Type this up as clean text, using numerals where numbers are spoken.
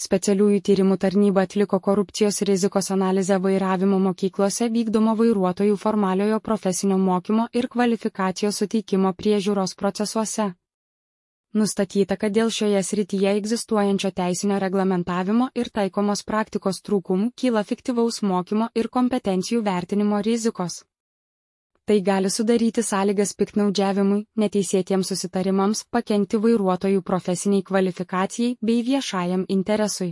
Specialiųjų tyrimų tarnyba atliko korupcijos rizikos analizę vairavimo mokyklose vykdomo vairuotojų formaliojo profesinio mokymo ir kvalifikacijos suteikimo priežiūros procesuose. Nustatyta, kad dėl šioje srityje egzistuojančio teisinio reglamentavimo ir taikomos praktikos trūkumų kyla fiktyvaus mokymo ir kompetencijų vertinimo rizikos. Tai gali sudaryti sąlygas piktnaudžiavimui, neteisėtiems susitarimams, pakenkti vairuotojų profesiniai kvalifikacijai bei viešajam interesui.